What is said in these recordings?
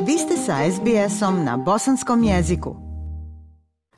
Vi ste sa SBS-om na bosanskom jeziku.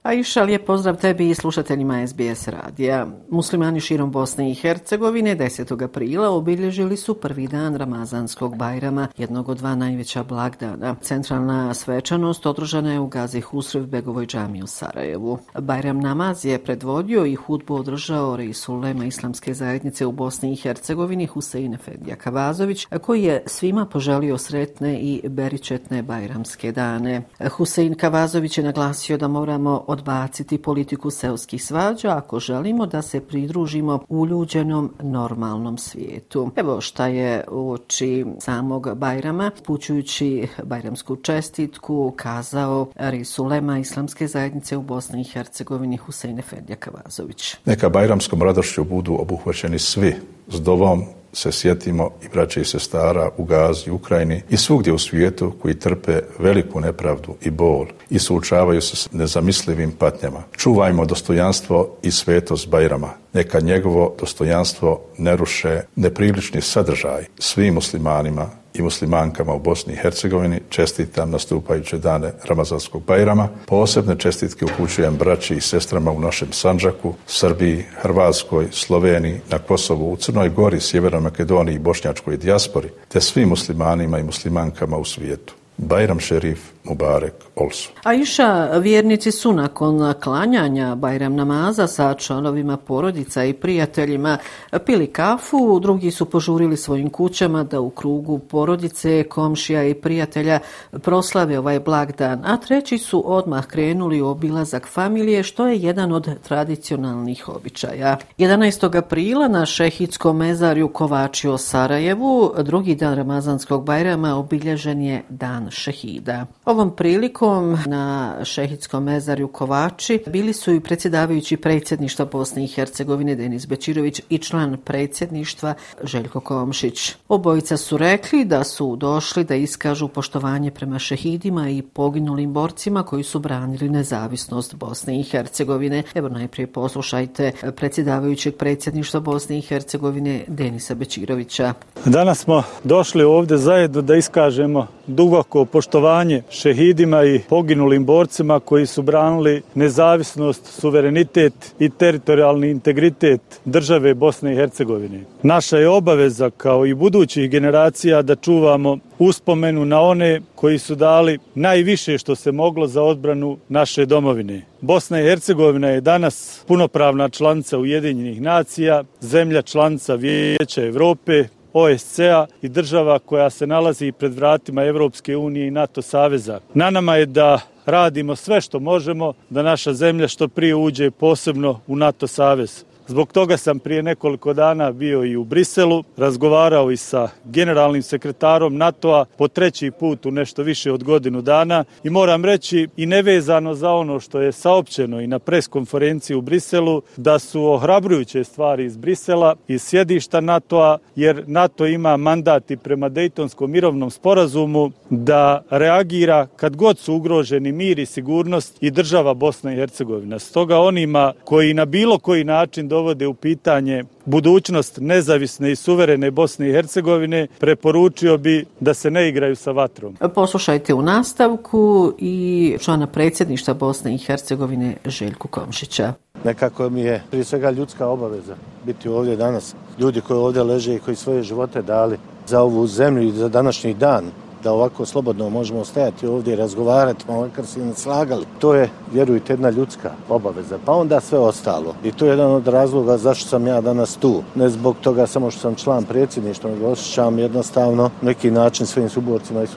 Aisha, lijep pozdrav tebi i slušateljima SBS radija. Muslimani širom Bosne i Hercegovine 10. aprila obilježili su prvi dan Ramazanskog Bajrama, jednog od dva najveća blagdana. Centralna svečanost održana je u Gazi Husrev Begovoj džamiji u Sarajevu. Bajram namaz je predvodio i hudbu održao Reisul Ulema Islamske zajednice u Bosni i Hercegovini Husein Efendija Kavazović, koji je svima poželio sretne i beričetne bajramske dane. Husein Kavazović je naglasio da moramo odbaciti politiku seoskih svađa ako želimo da se pridružimo uljuđenom normalnom svijetu. Evo šta je uoči samog Bajrama, upućujući bajramsku čestitku, kazao Reisul Ulema Islamske zajednice u Bosni i Hercegovini Husein Efendija Kavazović. Neka bajramskom radošću budu obuhvaćeni svi, s dovom se sjetimo i braće i sestara u Gazi, Ukrajini i svugdje u svijetu koji trpe veliku nepravdu i bol i suočavaju se s nezamislivim patnjama. Čuvajmo dostojanstvo i svetost Bajrama. Neka njegovo dostojanstvo ne ruše neprilični sadržaj. Svim muslimanima i muslimankama u Bosni i Hercegovini čestitam nastupajuće dane Ramazanskog Bajrama. Posebne čestitke upućujem braći i sestrama u našem Sandžaku, Srbiji, Hrvatskoj, Sloveniji, na Kosovu, u Crnoj Gori, Sjevernoj Makedoniji i bošnjačkoj dijaspori, te svim muslimanima i muslimankama u svijetu. Bajram šerif Mubarek Olsu. Aisha, vjernici su nakon klanjanja Bajram namaza sa članovima porodica i prijateljima pili kafu, drugi su požurili svojim kućama da u krugu porodice, komšija i prijatelja proslave ovaj blagdan, a treći su odmah krenuli u obilazak familije, što je jedan od tradicionalnih običaja. 11. aprila na šehidskom mezarju Kovači u Sarajevu, drugi dan Ramazanskog Bajrama, obilježen je dan šehida. Ovom prilikom na šehidskom mezarju Kovači bili su i predsjedavajući predsjedništva Bosne i Hercegovine Denis Bećirović i član predsjedništva Željko Komšić. Obojica su rekli da su došli da iskažu poštovanje prema šehidima i poginulim borcima koji su branili nezavisnost Bosne i Hercegovine. Evo najprije poslušajte predsjedavajućeg predsjedništva Bosne i Hercegovine Denisa Bećirovića. Danas smo došli ovdje zajedno da iskažemo duboko poštovanje šehidima i poginulim borcima koji su branili nezavisnost, suverenitet i teritorijalni integritet države Bosne i Hercegovine. Naša je obaveza kao i budućih generacija da čuvamo uspomenu na one koji su dali najviše što se moglo za odbranu naše domovine. Bosna i Hercegovina je danas punopravna članica Ujedinjenih nacija, zemlja članica Vijeća Europe, OSCE-a i država koja se nalazi pred vratima Evropske unije i NATO saveza. Na nama je da radimo sve što možemo da naša zemlja što prije uđe posebno u NATO savez. Zbog toga sam prije nekoliko dana bio i u Briselu, razgovarao i sa generalnim sekretarom NATO-a po treći put u nešto više od godinu dana i moram reći i nevezano za ono što je saopćeno i na pres konferenciji u Briselu da su ohrabrujuće stvari iz Brisela, iz sjedišta NATO-a, jer NATO ima mandat i prema Dejtonskom mirovnom sporazumu da reagira kad god su ugroženi mir i sigurnost i država Bosna i Hercegovina. Stoga onima koji na bilo koji način dovode u pitanje budućnost nezavisne i suverene Bosne i Hercegovine, preporučio bi da se ne igraju sa vatrom. Poslušajte u nastavku i člana predsjedništva Bosne i Hercegovine Željku Komšića. Nekako mi je prije svega ljudska obaveza biti ovdje danas. Ljudi koji ovdje leže i koji svoje živote dali za ovu zemlju i za današnji dan, da ovako slobodno možemo stajati ovdje i razgovarati, makar se ne slagali. To je, vjerujte, jedna ljudska obaveza, pa onda sve ostalo. I to je jedan od razloga zašto sam ja danas tu. Ne zbog toga samo što sam član predsjedništva, nego osjećam jednostavno neki način svojim suborcima i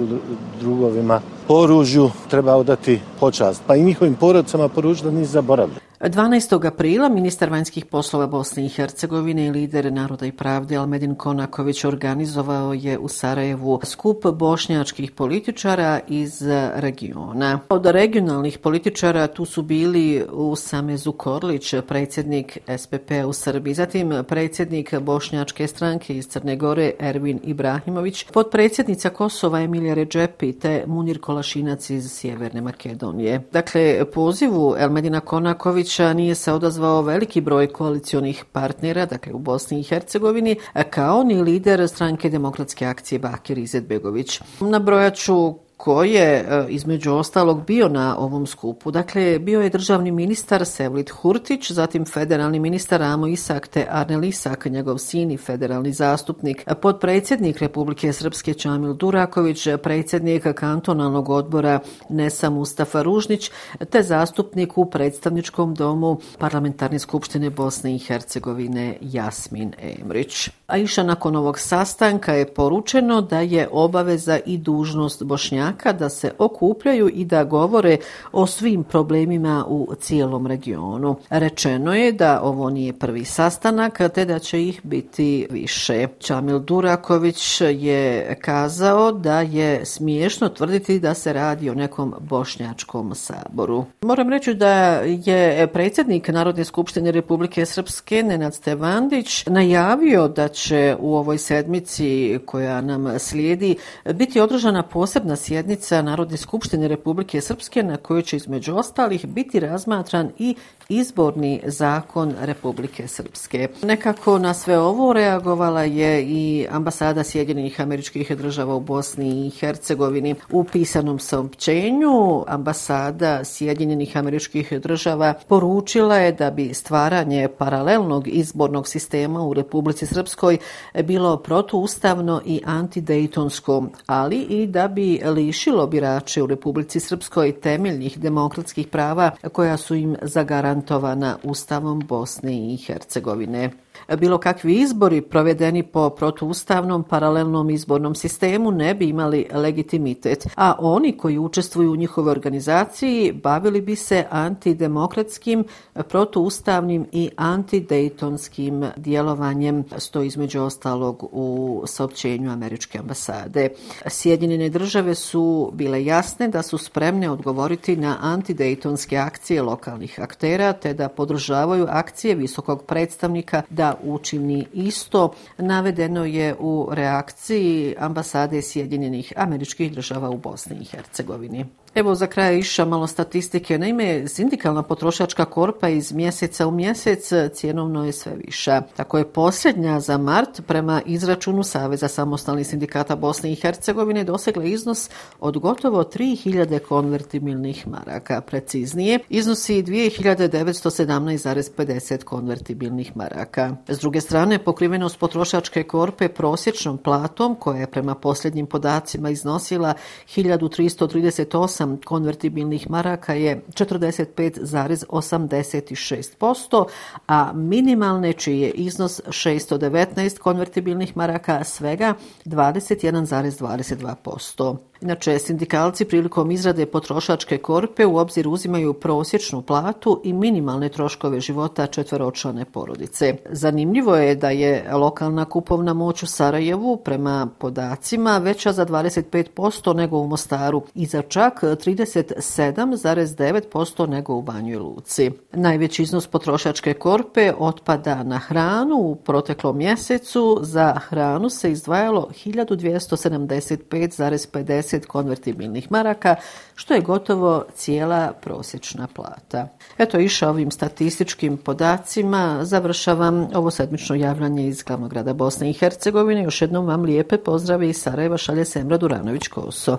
drugovima oružju treba odati počast, pa i njihovim porodicama poručiti da nisu zaboravili. 12. aprila ministar vanjskih poslova Bosne i Hercegovine i lider Naroda i pravde Elmedin Konaković organizovao je u Sarajevu skup bošnjačkih političara iz regiona. Od regionalnih političara tu su bili Usame Zukorlić, predsjednik SPP u Srbiji, zatim predsjednik Bošnjačke stranke iz Crne Gore Ervin Ibrahimović, potpredsjednica Kosova Emilija Redžepi te Munir Kolašinac iz Sjeverne Makedonije. Dakle, pozivu Elmedina Konakovića nije se odazvao veliki broj koalicionih partnera, dakle u Bosni i Hercegovini, kao ni lider stranke Demokratske akcije Bakir Izetbegović. Nabrojat ću ko je između ostalog bio na ovom skupu. Dakle, bio je državni ministar Sevlit Hurtić, zatim federalni ministar Amo Isak te Arnel Isak, njegov sin i federalni zastupnik, potpredsjednik Republike Srpske Čamil Duraković, predsjednik kantonalnog odbora Nesa Mustafa Ružnić, te zastupnik u predstavničkom domu Parlamentarne skupštine Bosne i Hercegovine Jasmin Emrić. A iša nakon ovog sastanka je poručeno da je obaveza i dužnost Bošnjaka da se okupljaju i da govore o svim problemima u cijelom regionu. Rečeno je da ovo nije prvi sastanak, te da će ih biti više. Čamil Duraković je kazao da je smiješno tvrditi da se radi o nekom bošnjačkom saboru. Moram reći da je predsjednik Narodne skupštine Republike Srpske Nenad Stevandić najavio da će u ovoj sedmici koja nam slijedi biti održana posebna sjednica Narodne skupštine Republike Srpske na kojoj će između ostalih biti razmatran i izborni zakon Republike Srpske. Nekako na sve ovo reagovala je i ambasada Sjedinjenih Američkih Država u Bosni i Hercegovini. U pisanom saopćenju ambasada Sjedinjenih Američkih Država poručila je da bi stvaranje paralelnog izbornog sistema u Republici Srpskoj bilo protuustavno i antidejtonsko, ali i da bi lišilo birače u Republici Srpskoj temeljnih demokratskih prava koja su im zagarantovana Ustavom Bosne i Hercegovine. Bilo kakvi izbori provedeni po protuustavnom paralelnom izbornom sistemu ne bi imali legitimitet, a oni koji učestvuju u njihovoj organizaciji bavili bi se antidemokratskim, protuustavnim i antidejtonskim djelovanjem, stoji između ostalog u saopćenju američke ambasade. Sjedinjene države su bile jasne da su spremne odgovoriti na antidejtonske akcije lokalnih aktera, te da podržavaju akcije visokog predstavnika da učini isto, navedeno je u reakciji ambasade Sjedinjenih Američkih Država u Bosni i Hercegovini. Evo za kraj iša malo statistike. Naime, sindikalna potrošačka korpa iz mjeseca u mjesec cjenovno je sve viša. Tako je posljednja za mart prema izračunu Saveza samostalnih sindikata Bosne i Hercegovine dosegla iznos od gotovo 3000 konvertibilnih maraka. Preciznije, iznosi 2917,50 konvertibilnih maraka. S druge strane, pokrivenost potrošačke korpe prosječnom platom, koja je prema posljednjim podacima iznosila 1338 konvertibilnih maraka, je 45,86%, a minimalne, čiji je iznos 619 konvertibilnih maraka, svega 21,22%. Inače, sindikalci prilikom izrade potrošačke korpe u obzir uzimaju prosječnu platu i minimalne troškove života četveročlane porodice. Zanimljivo je da je lokalna kupovna moć u Sarajevu prema podacima veća za 25% nego u Mostaru i za čak 37,9% nego u Banjoj Luci. Najveći iznos potrošačke korpe otpada na hranu. U proteklom mjesecu za hranu se izdvajalo 1275,50 konvertibilnih maraka, što je gotovo cijela prosječna plata. Eto, iša ovim statističkim podacima završavam ovo sedmično javljanje iz glavnog grada Bosne i Hercegovine. Još jednom vam lijepe pozdrave iz Sarajeva šalje Semra Duranović-Koso.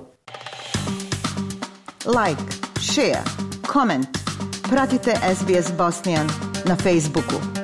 Like, share, comment. Pratite SBS Bosnian na Facebooku.